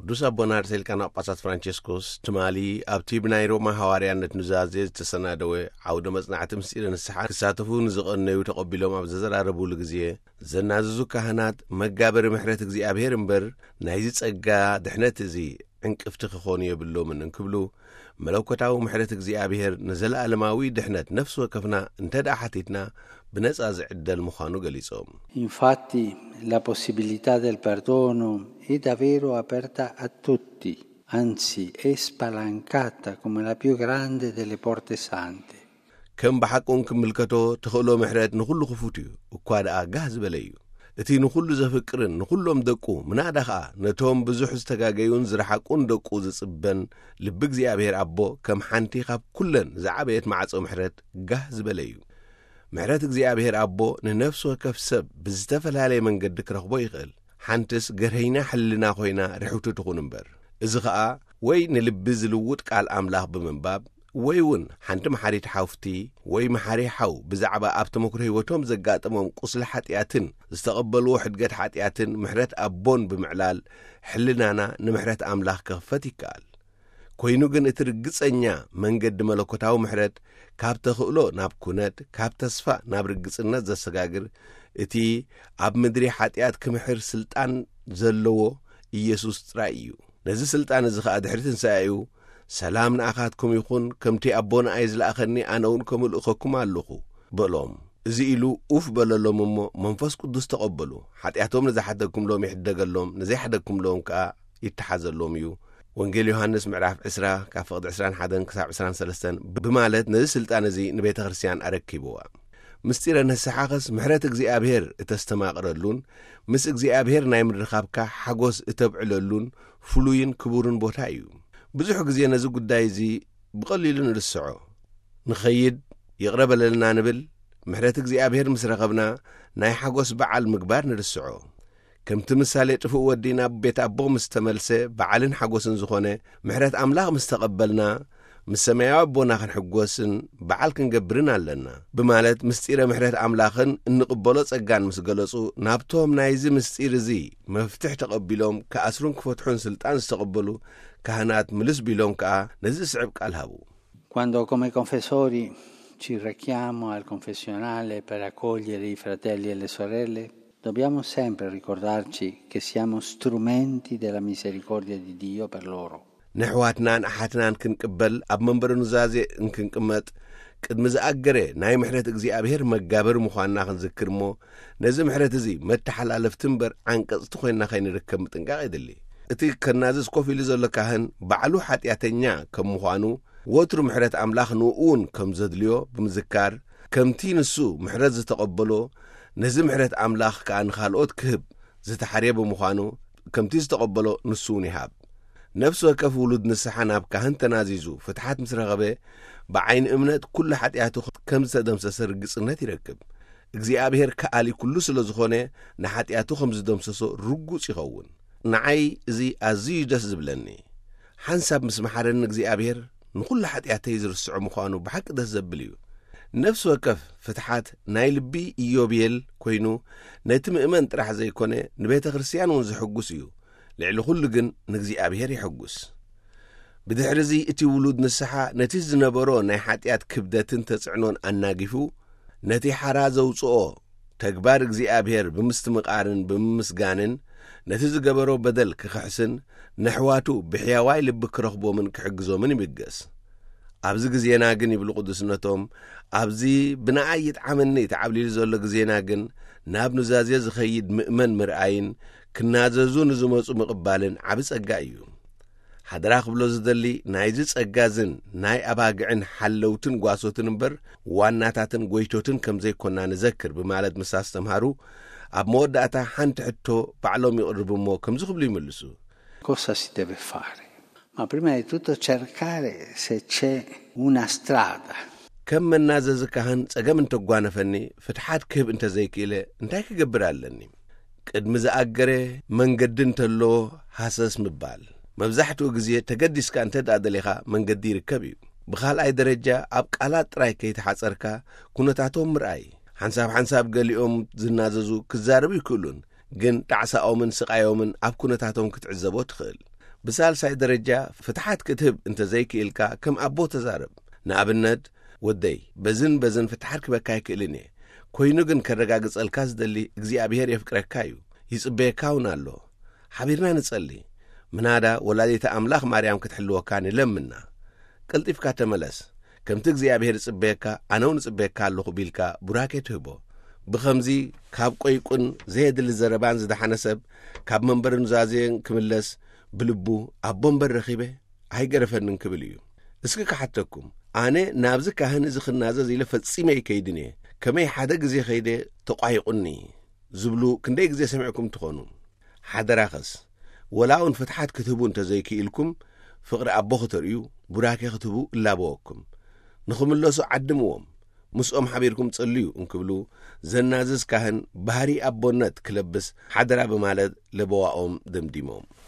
ቅዱስ ኣቦና ርእሰ ሊቃነ ጳጳሳት ፍራንቸስኮስ ትማሊ ኣብቲ ብናይ ሮማ ሃዋርያነት ኑዛዜ ዝተሰናደወ ዓውደ መጽናዕቲ ምስጢረ ንስሓ ክሳተፉ ንዝቐነዩ ተቐቢሎም ኣብ ዘዘራረቡሉ ግዜ፣ ዘናዝዙ ካህናት መጋበሪ ምሕረት እግዚኣብሔር እምበር ናይዚ ጸጋ ድሕነት እዚ ዕንቅፍቲ ክኾኑ የብሎምን እንክብሉ፣ መለኮታዊ ምሕረት እግዚኣብሔር ንዘለኣለማዊ ድሕነት ነፍሲ ወከፍና እንተ ደኣ ሓቲትና ብነጻ ዝዕደል ምዃኑ ገሊጾም። Infatti la possibilità del perdono è davvero aperta a tutti, anzi è spalancata come la più grande delle porte sante. ከም ብሓቁን ክምልከቶ ተኽእሎ ምሕረት ንኹሉ ክፉት እዩ፣ እኳ ደኣ ጋህ ዝበለ እዩ። እቲ ንኹሉ ዘፍቅርን ንኹሎም ደቁ ምናዳ ኸኣ ነቶም ብዙሕ ዝተጋገዩን ዝረሓቁን ደቁ ዝጽበን ልቢ እግዚኣብሔር ኣቦ ከም ሓንቲ ካብ ኩለን ዝዓበየት ማዕጾ ምሕረት ጋህ ዝበለ እዩ። ምሕረት እግዚኣብሔር ኣቦ ንነፍሲ ወከፍ ሰብ ብዝተፈላለየ መንገዲ ክረኽቦ ይኽእል። ሓንትስ ገርሀይና ሕልና ኮይና ርሕውቲ ትኹን እምበር፣ እዚ ኸኣ ወይ ንልቢ ዝልውጥ ቃል ኣምላኽ ብምንባብ፣ ወይ እውን ሓንቲ መሓሪት ሓውፍቲ ወይ መሓሪ ሓው ብዛዕባ ኣብ ተመክሮ ህይወቶም ዘጋጠሞም ቁስሊ ሓጢኣትን ዝተቐበልዎ ሕድገት ሓጢኣትን ምሕረት ኣቦን ብምዕላል ሕልናና ንምሕረት ኣምላኽ ክኽፈት ይከኣል። ኮይኑ ግን እቲ ርግጸኛ መንገዲ መለኮታዊ ምሕረት ካብ ተኽእሎ ናብ ኩነት፣ ካብ ተስፋ ናብ ርግጽነት ዘሰጋግር፣ እቲ ኣብ ምድሪ ሓጢኣት ክምሕር ስልጣን ዘለዎ ኢየሱስ ጥራይ እዩ። ነዚ ስልጣን እዚ ኸኣ ድሕሪ ትንሳኤኡ፣ "ሰላም ንኣኻትኩም ይኹን፣ ከምቲ ኣቦ ንኣይ ዝለኣኸኒ ኣነ እውን ከምኡ እልእኸኩም ኣለኹ" በሎም። እዚ ኢሉ ኡፍ በለሎም እሞ መንፈስ ቅዱስ ተቐበሉ። ሓጢኣቶም ንዝሓደግኩምሎም ይሕደገሎም፣ ንዘይሓደግኩምሎም ከኣ ይተሓዘሎም እዩ። ወንጌል ዮሃንስ ምዕራፍ ዕስራ ካብ ፍቕዲ ዕስራን ሓደን ክሳብ ዕስራን ሰለስተን ብማለት ነዚ ስልጣን እዚ ንቤተ ክርስቲያን ኣረኪብዋ። ምስጢረ ንስሓኸስ ምሕረት እግዚኣብሔር እተስተማቕረሉን ምስ እግዚኣብሔር ናይ ምርኻብካ ሓጎስ እተብዕለሉን ፍሉይን ክቡርን ቦታ እዩ። ብዙሕ ግዜ ነዚ ጉዳይ እዚ ብቐሊሉ ንርስዖ። ንኸይድ፣ ይቕረ በለልና ንብል፣ ምሕረት እግዚኣብሔር ምስ ረኸብና ናይ ሓጎስ በዓል ምግባር ንርስዖ። ከምቲ ምሳሌ ጥፉእ ወዲ ናብ ቤት ኣቦ ምስ ተመልሰ በዓልን ሓጎስን ዝኾነ፣ ምሕረት ኣምላኽ ምስ ተቐበልና ምስ ሰማያዊ ኣቦና ክንሕጎስን በዓል ክንገብርን ኣለና ብማለት ምስጢረ ምሕረት ኣምላኽን እንቕበሎ ጸጋን ምስ ገለጹ፣ ናብቶም ናይዚ ምስጢር እዚ መፍትሕ ተቐቢሎም ክኣስሩን ክፈትሑን ስልጣን ዝተቐበሉ ካህናት ምልስ ቢሎም ከኣ ነዚ ዝስዕብ ቃል ሃቡ። Quando come confessori ci rechiamo al confessionale per accogliere i fratelli e le sorelle, dobbiamo sempre ricordarci che siamo strumenti della misericordia di Dio per loro. ንኣሕዋትናን ኣሓትናን ክንቅበል ኣብ መንበረ ኑዛዜ እንክንቅመጥ፣ ቅድሚ ዝኣገረ ናይ ምሕረት እግዚኣብሔር መጋበሪ ምዃንና ክንዝክር እሞ፣ ነዚ ምሕረት እዚ መተሓላለፍቲ እምበር ዓንቀጽቲ ኮይንና ከይንርከብ ምጥንቃቕ የድሊ። እቲ ከናዝዝ ኮፍ ኢሉ ዘሎ ካህን ባዕሉ ሓጢኣተኛ ከም ምዃኑ፣ ወትሩ ምሕረት ኣምላኽ ንእኡ እውን ከም ዘድልዮ ብምዝካር፣ ከምቲ ንሱ ምሕረት ዝተቐበሎ፣ ነዚ ምሕረት ኣምላኽ ከኣ ንኻልኦት ክህብ ዝተሓርየ ብምዃኑ፣ ከምቲ ዝተቐበሎ ንሱ እውን ይሃብ። ነፍሲ ወከፍ ውሉድ ንስሓ ናብ ካህን ተናዚዙ ፍትሓት ምስ ረኸበ፣ ብዓይኒ እምነት ኩሉ ሓጢኣቱ ከም ዝተደምሰሰ ርግጽነት ይረክብ። እግዚኣብሔር ከኣሊ ኩሉ ስለ ዝኾነ፣ ንሓጢኣቱ ከም ዝደምሰሶ ርጉጽ ይኸውን። ንዓይ እዚ ኣዝዩ ደስ ዝብለኒ። ሓንሳብ ምስ መሓረኒ እግዚኣብሔር ንኹሉ ሓጢኣተይ ዝርስዖ ምዃኑ ብሓቂ ደስ ዘብል እዩ። ነፍሲ ወከፍ ፍትሓት ናይ ልቢ ኢዮቤል ኮይኑ፣ ነቲ ምእመን ጥራሕ ዘይኮነ ንቤተ ክርስቲያን እውን ዘሐጉስ እዩ። ልዕሊ ኩሉ ግን ንእግዚኣብሔር የሐጉስ። ብድሕርዚ እቲ ውሉድ ንስሓ ነቲ ዝነበሮ ናይ ሓጢኣት ክብደትን ተጽዕኖን ኣናጊፉ፣ ነቲ ሓራ ዘውጽኦ ተግባር እግዚኣብሔር ብምስትምቓርን ብምምስጋንን ነቲ ዝገበሮ በደል ክኽሕስን ነሕዋቱ ብሕያዋይ ልቢ ክረኽቦምን ክሕግዞምን ይብገስ። ኣብዚ ግዜና ግን፣ ይብሉ ቅዱስነቶም፣ ኣብዚ ብንኣይ ይጥዓመኒ ተዓብሊሉ ዘሎ ግዜና ግን፣ ናብ ኑዛዜ ዝኸይድ ምእመን ምርኣይን ክናዘዙ ንዝመጹ ምቕባልን ዓቢ ጸጋ እዩ። ሓደራ ክብሎ ዝደሊ፣ ናይዚ ጸጋ ዝን ናይ ኣባግዕን ሓለውትን ጓሶትን እምበር ዋናታትን ጎይቶትን ከም ዘይኮና ንዘክር ብማለት ምስ ኣስተምሃሩ፣ ኣብ መወዳእታ ሓንቲ ሕቶ ባዕሎም ይቕርቡ እሞ ከምዚ ክብሉ ይምልሱ። Cosa si deve fare? Ma prima di tutto cercare se c'è una strada. ከም መናዘዚ ካህን ጸገም እንተጓነፈኒ፣ ፍትሓት ክህብ እንተዘይክእለ እንታይ ክገብር ኣለኒ? ቅድሚ ዝኣገረ መንገዲ እንተሎ ሃሰስ ምባል። መብዛሕትኡ ግዜ ተገዲስካ እንተ ደኣ ደሊኻ መንገዲ ይርከብ እዩ። ብኻልኣይ ደረጃ ኣብ ቃላት ጥራይ ከይተሓጸርካ ኩነታቶም ምርኣይ። ሓንሳብ ሓንሳብ ገሊኦም ዝናዘዙ ክዛረቡ ይክእሉን፣ ግን ጣዕሳኦምን ስቓዮምን ኣብ ኩነታቶም ክትዕዘቦ ትኽእል። ብሳልሳይ ደረጃ ፍትሓት ክትህብ እንተ ዘይክኢልካ፣ ከም ኣቦ ተዛረብ። ንኣብነት፣ "ወደይ፣ በዝን በዝን ፍትሓት ክበካ ኣይክእልን እየ። ኮይኑ ግን ከረጋግጸልካ ዝደሊ እግዚኣብሔር የፍቅረካ እዩ። ይጽበየካ እውን ኣሎ። ሓቢርና ንጸሊ። ምናዳ ወላዲተ ኣምላኽ ማርያም ክትሕልወካ ንለምና። ቀልጢፍካ ተመለስ። ከምቲ እግዚኣብሔር ይጽበየካ፣ ኣነ እውን እጽበየካ ኣለኹ" ቢልካ ቡራኬ ትህቦ። ብኸምዚ ካብ ቆይቁን ዘየድሊ ዘረባን ዝደሓነ ሰብ ካብ መንበሪ ኑዛዜን ክምለስ ብልቡ "ኣቦ እምበር ረኺበ ኣይገረፈንን" ክብል እዩ። እስኪ ክሓተኩም፣ ኣነ ናብዚ ካህን እዚ ክናዘዝ ኢለ ፈጺመ ኣይከይድን እየ። ከመይ ሓደ ግዜ ከይደ ተቋይቑኒ ዝብሉ ክንደይ ግዜ ሰሚዕኩም ትኾኑ? ሓደራኸስ፣ ወላ እውን ፍትሓት ክትህቡ እንተ ዘይክኢልኩም፣ ፍቕሪ ኣቦ ክተርእዩ፣ ቡራኬ ክትህቡ እላበወኩም። ንኽምለሱ ዓድምዎም፣ ምስኦም ሓቢርኩም ጸልዩ እንክብሉ፣ ዘናዝዝ ካህን ባህሪ ኣቦነት ክለብስ ሓደራ ብማለት ለበዋኦም ደምዲሞም።